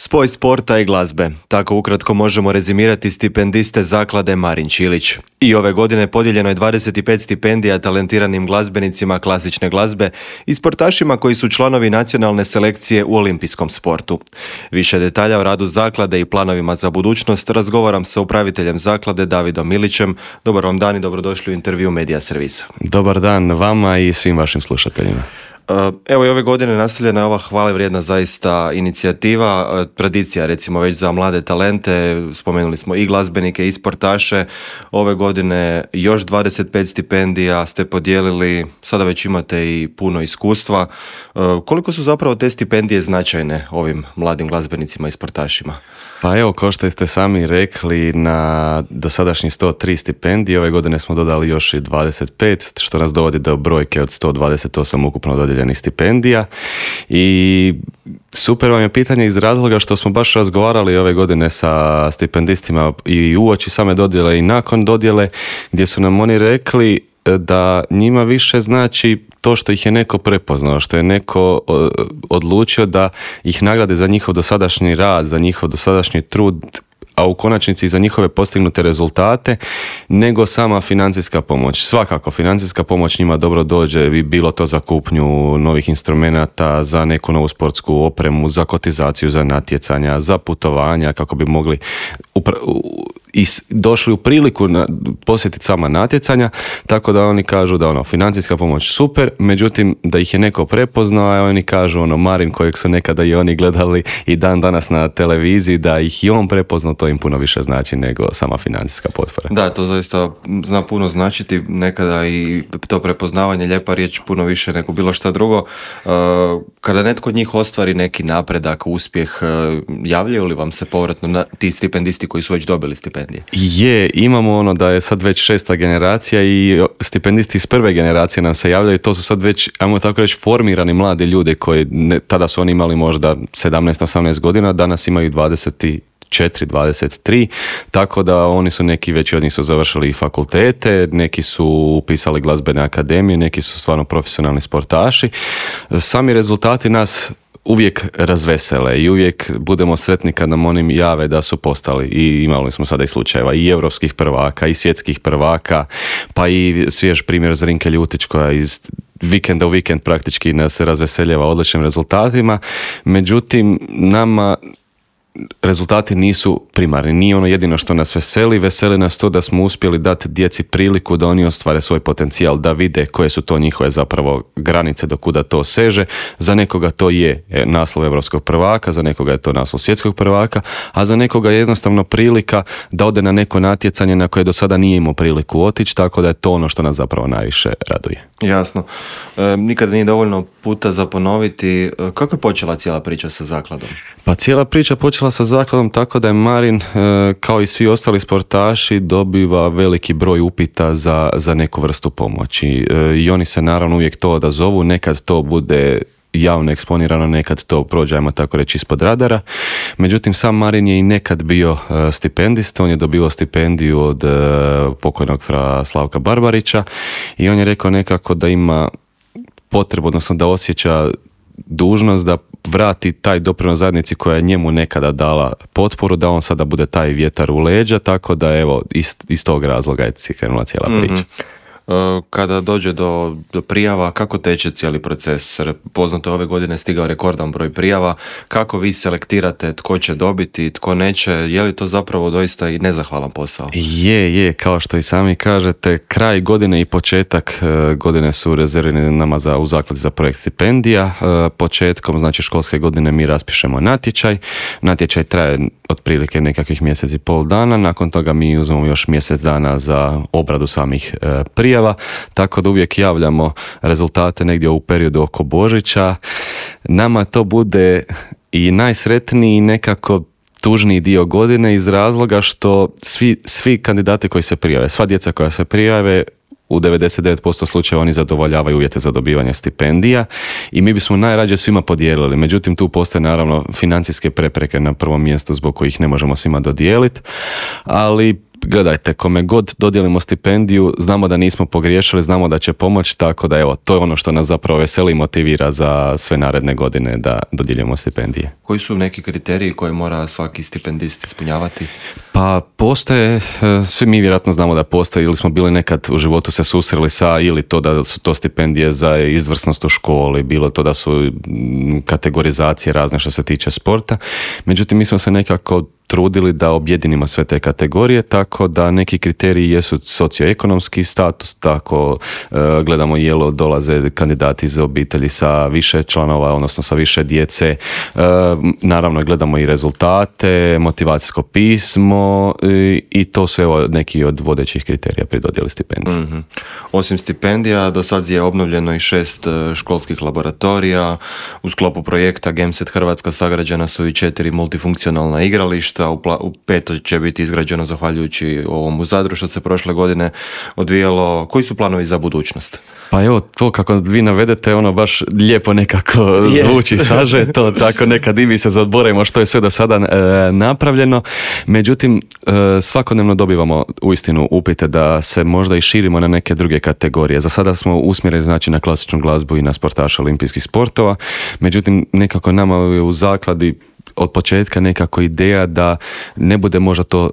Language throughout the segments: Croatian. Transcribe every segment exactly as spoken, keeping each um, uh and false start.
Spoj sporta i glazbe. Tako ukratko možemo rezimirati stipendiste zaklade Marin Čilić. I ove godine podijeljeno je dvadeset pet stipendija talentiranim glazbenicima klasične glazbe i sportašima koji su članovi nacionalne selekcije u olimpijskom sportu. Više detalja o radu zaklade i planovima za budućnost razgovaram sa upraviteljem zaklade Davidom Milićem. Dobar vam dan i dobrodošli u intervju Medija servisa. Dobar dan vama i svim vašim slušateljima. Evo i ove godine nastavljena je ova hvale vrijedna zaista inicijativa, tradicija recimo već za mlade talente, spomenuli smo i glazbenike i sportaše, ove godine još dvadeset pet stipendija ste podijelili, sada već imate i puno iskustva. Koliko su zapravo te stipendije značajne ovim mladim glazbenicima i sportašima? Pa evo, kao što ste sami rekli, na dosadašnji sto tri stipendije, ove godine smo dodali još i dvadeset pet, što nas dovodi do brojke od sto dvadeset osam ukupno dodijeljenih stipendija. I super vam je pitanje iz razloga što smo baš razgovarali ove godine sa stipendistima i uoči same dodjele i nakon dodjele, gdje su nam oni rekli da njima više znači to što ih je neko prepoznao, što je neko odlučio da ih nagrade za njihov dosadašnji rad, za njihov dosadašnji trud, a u konačnici za njihove postignute rezultate, nego sama financijska pomoć. Svakako, financijska pomoć njima dobro dođe, bilo to za kupnju novih instrumenata, za neku novu sportsku opremu, za kotizaciju, za natjecanja, za putovanja, kako bi mogli upra- i došli u priliku na, posjetiti sama natjecanja, tako da oni kažu da ono, financijska pomoć super, međutim da ih je neko prepoznao, a oni kažu ono, Marin kojeg su nekada i oni gledali i dan danas na televiziji, da ih i on prepoznao, to im puno više znači nego sama financijska potpora. Da, to zaista zna puno značiti, nekada i to prepoznavanje, lijepa riječ, puno više nego bilo šta drugo. Kada netko od njih ostvari neki napredak, uspjeh, javljaju li vam se povratno na ti stipendisti koji su već dobili stipendije? Je, imamo ono da je sad već šesta generacija i stipendisti iz prve generacije nam se javljaju, to su sad već, ajmo tako reći, formirani mladi ljudi koji ne, tada su oni imali možda sedamnaest osamnaest godina, danas imaju dvadeset četiri dvadeset tri, tako da oni su neki, veći od njih su završili fakultete, neki su upisali glazbene akademije, neki su stvarno profesionalni sportaši. Sami rezultati nas uvijek razvesele i uvijek budemo sretni kad nam oni jave da su postali, i imali smo sada i slučajeva i europskih prvaka i svjetskih prvaka, pa i svjež primjer Zrinke Ljutić koja iz vikenda u vikend praktički nas razveseljava odličnim rezultatima. Međutim, nama rezultati nisu primarni, nije ono jedino što nas veseli, veseli nas to da smo uspjeli dati djeci priliku da oni ostvare svoj potencijal, da vide koje su to njihove zapravo granice do kuda to seže. Za nekoga to je naslov europskog prvaka, za nekoga je to naslov svjetskog prvaka, a za nekoga je jednostavno prilika da ode na neko natjecanje na koje do sada nije imao priliku otići, tako da je to ono što nas zapravo najviše raduje. Jasno. E, nikada nije dovoljno puta za ponoviti. Kako je počela cijela priča sa zakladom? Pa cijela priča počela sa zakladom tako da je Marin, kao i svi ostali sportaši, dobiva veliki broj upita za, za neku vrstu pomoći. I oni se naravno uvijek to odazovu, nekad to bude javno eksponirano, nekad to prođe, ajmo tako reći, ispod radara. Međutim, sam Marin je i nekad bio stipendist, on je dobio stipendiju od pokojnog fra Slavka Barbarića i on je rekao nekako da ima potrebu, odnosno da osjeća dužnost da vrati taj doprinos zajednici koja je njemu nekada dala potporu, da on sada bude taj vjetar u leđa, tako da evo iz, iz tog razloga je krenula cijela priča. Mm-hmm. Kada dođe do, do prijava, kako teče cijeli proces? Poznato je ove godine stigao rekordan broj prijava. Kako vi selektirate tko će dobiti, tko neće? Je li to zapravo doista i nezahvalan posao? Je, je, kao što i sami kažete, kraj godine i početak godine su rezervirani nama za, u zakladi za projekt stipendija. Početkom, znači školske godine, mi raspišemo natječaj. Natječaj traje otprilike nekakvih mjesec i pol dana. Nakon toga mi uzmemo još mjesec dana za obradu samih prijava, tako da uvijek javljamo rezultate negdje u periodu oko Božića. Nama to bude i najsretniji nekako tužniji dio godine iz razloga što svi, svi kandidati koji se prijave, sva djeca koja se prijave, u devedeset devet posto slučajeva oni zadovoljavaju uvjete za dobivanje stipendija i mi bismo najrađe svima podijelili. Međutim, tu postoje naravno financijske prepreke na prvom mjestu zbog kojih ne možemo svima dodijeliti, ali gledajte, kome god dodijelimo stipendiju, znamo da nismo pogriješili, znamo da će pomoći, tako da evo, to je ono što nas zapravo veseli i motivira za sve naredne godine da dodjeljujemo stipendije. Koji su neki kriteriji koje mora svaki stipendist ispunjavati? Pa postoje, svi mi vjerojatno znamo da postoje ili smo bili nekad u životu se susreli sa, ili to da su to stipendije za izvrsnost u školi, bilo to da su kategorizacije razne što se tiče sporta. Međutim, mi smo se nekako trudili da objedinimo sve te kategorije, tako da neki kriteriji jesu socioekonomski status, tako e, gledamo jelo dolaze kandidati iz obitelji sa više članova, odnosno sa više djece, e, naravno gledamo i rezultate, motivacijsko pismo i, i to su evo neki od vodećih kriterija pri dodjeli stipendija. Mm-hmm. Osim stipendija, do sad je obnovljeno i šest školskih laboratorija, u sklopu projekta Gameset Hrvatska sagrađena su i četiri multifunkcionalna igrališta, U, pla- u peto će biti izgrađeno zahvaljujući ovom u Zadru što se prošle godine odvijalo. Koji su planovi za budućnost? Pa evo, to kako vi navedete, ono baš lijepo nekako yeah. zvuči, saže to, tako nekad i mi se zaodborimo što je sve do sada e, napravljeno. Međutim, e, svakodnevno dobivamo uistinu upite da se možda i širimo na neke druge kategorije. Za sada smo usmjereni znači na klasičnu glazbu i na sportaša olimpijskih sportova. Međutim, nekako nama je u zakladi od početka nekako ideja da ne bude možda to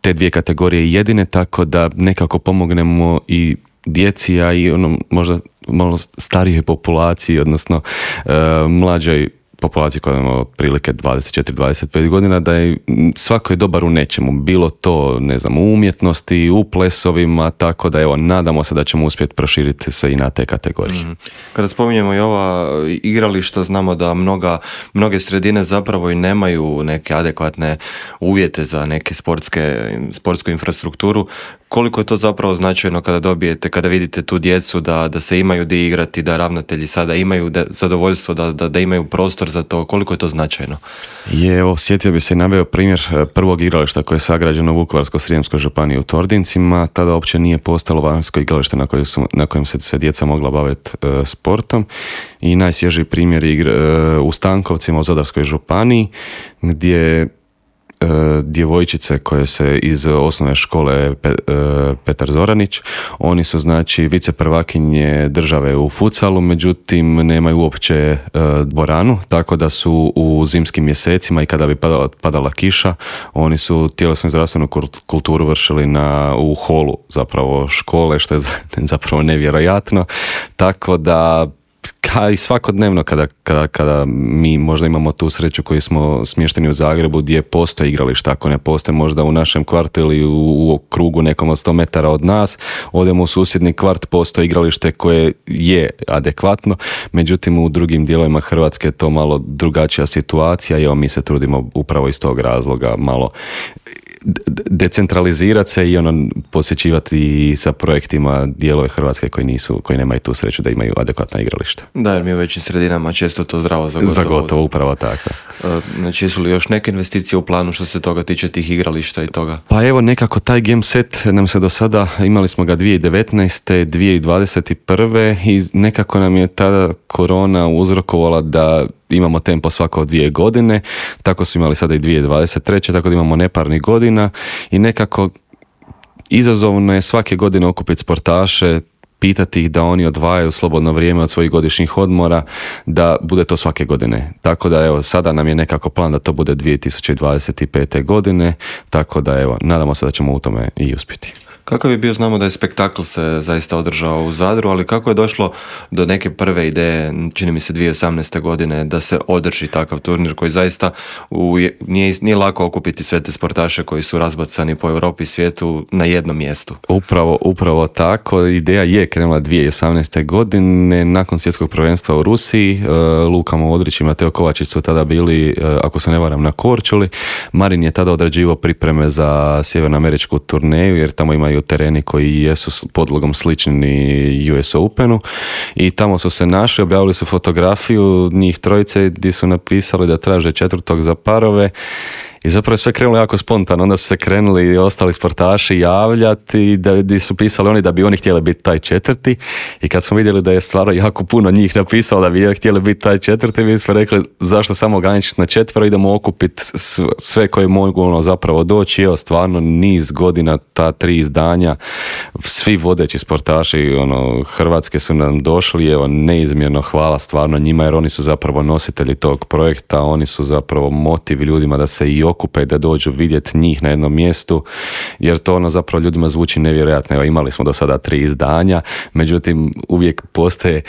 te dvije kategorije jedine, tako da nekako pomognemo i djeci, a i ono možda malo starijoj populaciji, odnosno e, mlađoj populaciji koja ima otprilike dvadeset četiri do dvadeset pet godina, da je svako je dobar u nečemu, bilo to, ne znam, u umjetnosti, u plesovima, tako da evo, nadamo se da ćemo uspjeti proširiti se i na te kategorije. Mm. Kada spominjemo i ova igrališta, znamo da mnoga, mnoge sredine zapravo i nemaju neke adekvatne uvjete za neke sportske, sportsku infrastrukturu. Koliko je to zapravo značajno kada dobijete, kada vidite tu djecu da, da se imaju di igrati, da ravnatelji sada imaju de, zadovoljstvo da, da, da imaju prostor za to, koliko je to značajno? Je, evo, sjetio bi se i naveo primjer prvog igrališta koje je sagrađeno u Vukovarsko-srijemskoj županiji u Tordincima. Tada uopće nije postalo vanjsko igralište na kojem, su, na kojem se, se djeca mogla baviti e, sportom. I najsvježiji primjer je e, u Stankovcima u Zadarskoj županiji gdje djevojčice koje se iz osnovne škole Petar Zoranić, oni su znači viceprvakinje države u futsalu, međutim nemaju uopće dvoranu, tako da su u zimskim mjesecima i kada bi padala, padala kiša, oni su tjelesnu i zdravstvenu kulturu vršili na, u holu zapravo škole, što je zapravo nevjerojatno, tako da a i svakodnevno kada, kada, kada mi možda imamo tu sreću koji smo smješteni u Zagrebu gdje postoje igrališta, ako ne postoje možda u našem kvartu ili u, u krugu nekom od sto metara od nas, odemo u susjedni kvart, postoje igralište koje je adekvatno, međutim u drugim dijelovima Hrvatske je to malo drugačija situacija i evo mi se trudimo upravo iz tog razloga malo decentralizirati se i ono posjećivati sa projektima dijelove Hrvatske koji nisu, koji nemaju tu sreću da imaju adekvatna igrališta. Da, jer mi u većim sredinama često to zdravo za gotovo. Za gotovo, upravo tako. Znači, jesu li još neke investicije u planu što se toga tiče tih igrališta i toga? Pa evo, nekako taj Gameset nam se do sada, imali smo ga dvije tisuće devetnaeste. dvije tisuće dvadeset prve. i nekako nam je tada korona uzrokovala da imamo tempo svako dvije godine, tako smo imali sada i dvije tisuće dvadeset treće. tako da imamo neparnih godina i nekako izazovno je svake godine okupiti sportaše, pitati ih da oni odvajaju slobodno vrijeme od svojih godišnjih odmora, da bude to svake godine. Tako da evo, sada nam je nekako plan da to bude dvije tisuće dvadeset pete. godine, tako da evo, nadamo se da ćemo u tome i uspjeti. Kakav je bio, znamo da je spektakl se zaista održao u Zadru, ali kako je došlo do neke prve ideje, čini mi se dvije tisuće osamnaeste. godine, da se održi takav turnir koji zaista u, nije, nije lako okupiti sve te sportaše koji su razbacani po Europi i svijetu na jednom mjestu. Upravo, upravo tako. Ideja je krenula dvije tisuće osamnaeste. godine nakon svjetskog prvenstva u Rusiji. Luka Modrić i Mateo Kovačić su tada bili, ako se ne varam, na Korčuli. Marin je tada odrađivao pripreme za sjevernoameričku turneju, jer tamo ima tereni koji jesu podlogom slični U S Openu i tamo su se našli, objavili su fotografiju njih trojice gdje su napisali da traže četvrtog za parove I zapravo je sve krenulo jako spontano, onda su se krenuli i ostali sportaši javljati, da, da su pisali oni da bi oni htjeli biti taj četvrti, i kad smo vidjeli da je stvarno jako puno njih napisalo da bi htjeli biti taj četvrti, mi smo rekli zašto samo ograničiti na četvero, idemo okupiti sve koje mogu ono, zapravo doći. Evo, stvarno niz godina ta tri izdanja, svi vodeći sportaši ono, Hrvatske su nam došli, evo, neizmjerno hvala stvarno njima, jer oni su zapravo nositelji tog projekta, oni su zapravo motiv ljudima da se i okupe i da dođu vidjeti njih na jednom mjestu, jer to ono zapravo ljudima zvuči nevjerojatno. Evo, imali smo do sada tri izdanja, međutim uvijek postoje e,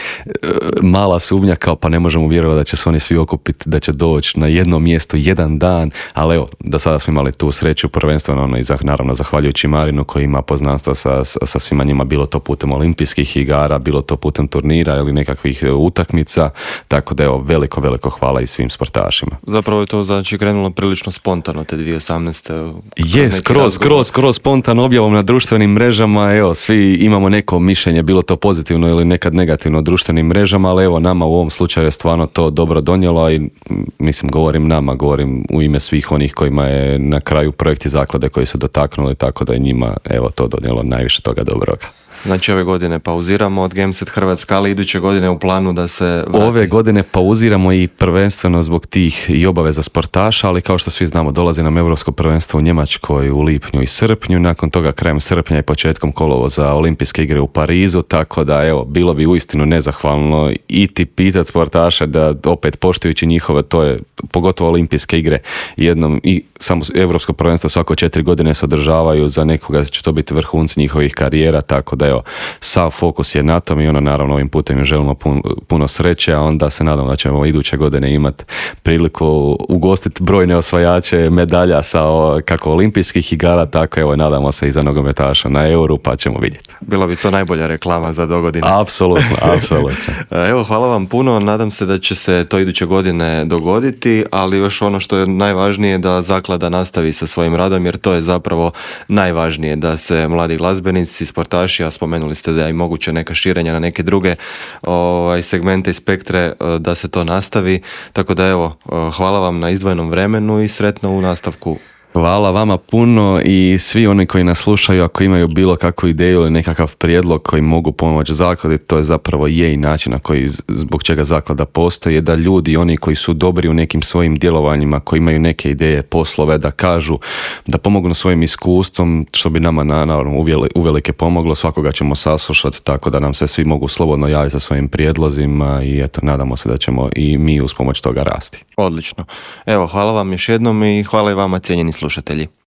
mala sumnja kao pa ne možemo vjerovati da će se oni svi okupiti, da će doći na jedno mjesto jedan dan, ali evo, do sada smo imali tu sreću, prvenstveno ono, i za, naravno zahvaljujući Marinu koji ima poznanstva sa, sa svima njima, bilo to putem olimpijskih igara, bilo to putem turnira ili nekakvih utakmica, tako da evo, veliko, veliko hvala i svim sportašima. Zapravo je to znači krenulo prilično spontano te dvije tisuće osamnaeste. Je, skroz, skroz, skroz spontano objavom na društvenim mrežama, evo, svi imamo neko mišljenje, bilo to pozitivno ili nekad negativno o društvenim mrežama, ali evo, nama u ovom slučaju je stvarno to dobro donijelo i mislim, govorim nama, govorim u ime svih onih kojima je na kraju projekti zaklade koji su dotaknuli, tako da je njima, evo, to donijelo najviše toga dobroga. Znači ove godine pauziramo od Gameset Hrvatska, ali iduće godine u planu da se vrati. Ove godine pauziramo i prvenstveno zbog tih i obaveza sportaša, ali kao što svi znamo, dolazi nam Europsko prvenstvo u Njemačkoj u lipnju i srpnju, nakon toga krajem srpnja i početkom kolovoza Olimpijske igre u Parizu, tako da evo, bilo bi uistinu nezahvalno iti pitati sportaše da opet poštujući njihove, to je pogotovo Olimpijske igre, jednom i samo Europsko prvenstvo svako četiri godine se održavaju, za nekoga će to biti vrhunci njihovih karijera, tako da evo, sav fokus je na tom i ono, naravno ovim putem im želimo puno, puno sreće, a onda se nadamo da ćemo iduće godine imati priliku ugostiti brojne osvajače medalja sa kako olimpijskih igara, tako evo, nadamo se i za nogometaša na Euru, pa ćemo vidjeti. Bila bi to najbolja reklama za dogodine. Apsolutno, apsolutno. Evo, hvala vam puno, nadam se da će se to iduće godine dogoditi, ali još ono što je najvažnije da zaklada nastavi sa svojim radom, jer to je zapravo najvažnije, da se mladi glazbenici, sportaši, a spomenuli ste da je i moguće neka širenja na neke druge ovaj, segmente i spektre, da se to nastavi. Tako da evo, hvala vam na izdvojenom vremenu i sretno u nastavku. Hvala vama puno i svi oni koji nas slušaju, ako imaju bilo kakvu ideju ili nekakav prijedlog koji mogu pomoći zakladi, to je zapravo je i način na koji, zbog čega zaklada postoji, je da ljudi, oni koji su dobri u nekim svojim djelovanjima, koji imaju neke ideje, poslove, da kažu, da pomognu svojim iskustvom, što bi nama naravno uvelike pomoglo, svakoga ćemo saslušati, tako da nam se svi mogu slobodno javiti sa svojim prijedlozima i eto, nadamo se da ćemo i mi uz pomoć toga rasti. Odlično. Evo, hvala vam još jednom i hvala i vama, cijenjeni slušatelji.